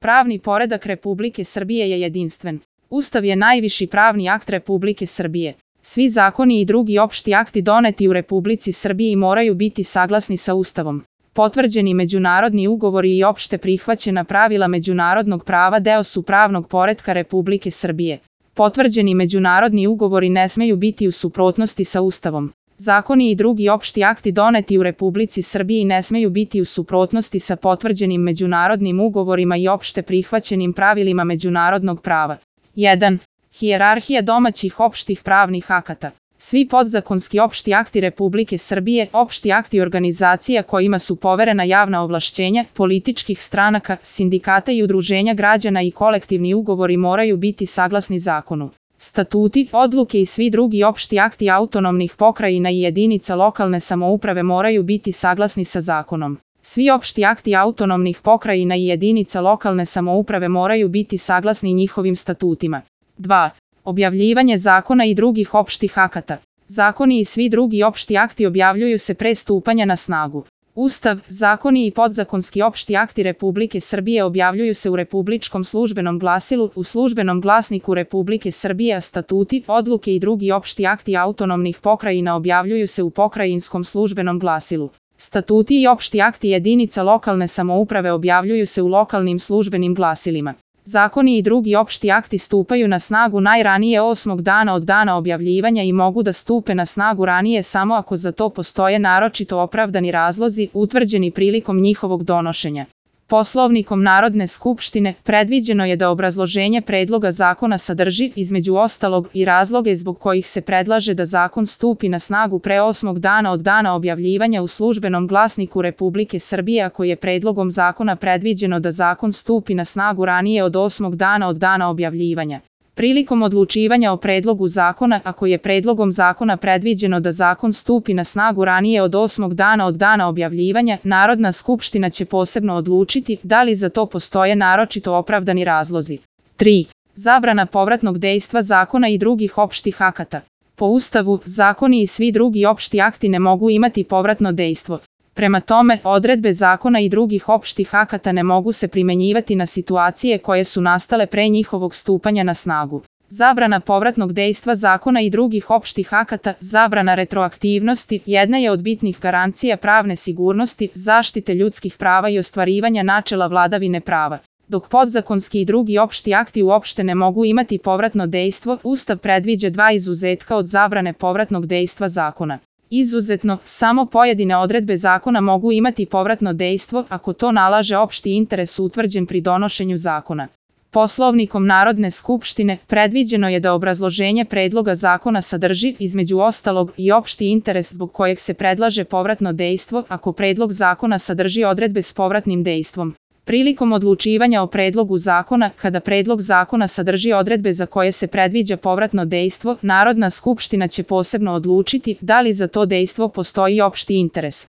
Pravni poredak Republike Srbije je jedinstven. Ustav je najviši pravni akt Republike Srbije. Svi zakoni i drugi opšti akti doneti u Republici Srbiji moraju biti saglasni sa Ustavom. Potvrđeni međunarodni ugovori i opšte prihvaćena pravila međunarodnog prava deo su pravnog poretka Republike Srbije. Potvrđeni međunarodni ugovori ne smeju biti u suprotnosti sa Ustavom. Zakoni i drugi opšti akti doneti u Republici Srbiji ne smeju biti u suprotnosti sa potvrđenim međunarodnim ugovorima i opšte prihvaćenim pravilima međunarodnog prava. 1. Hijerarhija domaćih opštih pravnih akata. Svi podzakonski opšti akti Republike Srbije, opšti akti organizacija kojima su poverena javna ovlašćenja, političkih stranaka, sindikata i udruženja građana i kolektivni ugovori moraju biti saglasni zakonu. Statuti, odluke i svi drugi opšti akti autonomnih pokrajina i jedinica lokalne samouprave moraju biti saglasni sa zakonom. Svi opšti akti autonomnih pokrajina i jedinica lokalne samouprave moraju biti saglasni njihovim statutima. 2. Objavljivanje zakona i drugih opštih akata. Zakoni i svi drugi opšti akti objavljuju se pre stupanja na snagu. Ustav, zakoni i podzakonski opšti akti Republike Srbije objavljuju se u Republičkom službenom glasilu, u Službenom glasniku Republike Srbije, a statuti, odluke i drugi opšti akti autonomnih pokrajina objavljuju se u Pokrajinskom službenom glasilu. Statuti i opšti akti jedinica lokalne samouprave objavljuju se u lokalnim službenim glasilima. Zakoni i drugi opšti akti stupaju na snagu najranije 8. dana od dana objavljivanja i mogu da stupe na snagu ranije samo ako za to postoje naročito opravdani razlozi utvrđeni prilikom njihovog donošenja. Poslovnikom Narodne skupštine predviđeno je da obrazloženje predloga zakona sadrži, između ostalog, i razloge zbog kojih se predlaže da zakon stupi na snagu pre 8. dana od dana objavljivanja u Službenom glasniku Republike Srbije, ako je predlogom zakona predviđeno da zakon stupi na snagu ranije od 8. dana od dana objavljivanja. Prilikom odlučivanja o predlogu zakona, ako je predlogom zakona predviđeno da zakon stupi na snagu ranije od 8. dana od dana objavljivanja, Narodna skupština će posebno odlučiti da li za to postoje naročito opravdani razlozi. 3. Zabrana povratnog dejstva zakona i drugih opštih akata. Po Ustavu, zakoni i svi drugi opšti akti ne mogu imati povratno dejstvo. Prema tome, odredbe zakona i drugih opštih akata ne mogu se primenjivati na situacije koje su nastale pre njihovog stupanja na snagu. Zabrana povratnog dejstva zakona i drugih opštih akata, zabrana retroaktivnosti, jedna je od bitnih garancija pravne sigurnosti, zaštite ljudskih prava i ostvarivanja načela vladavine prava. Dok podzakonski i drugi opšti akti uopšte ne mogu imati povratno dejstvo, Ustav predviđa dva izuzetka od zabrane povratnog dejstva zakona. Izuzetno, samo pojedine odredbe zakona mogu imati povratno dejstvo ako to nalaže opšti interes utvrđen pri donošenju zakona. Poslovnikom Narodne skupštine predviđeno je da obrazloženje predloga zakona sadrži, između ostalog, i opšti interes zbog kojeg se predlaže povratno dejstvo ako predlog zakona sadrži odredbe s povratnim dejstvom. Prilikom odlučivanja o predlogu zakona, kada predlog zakona sadrži odredbe za koje se predviđa povratno dejstvo, Narodna skupština će posebno odlučiti da li za to dejstvo postoji opšti interes.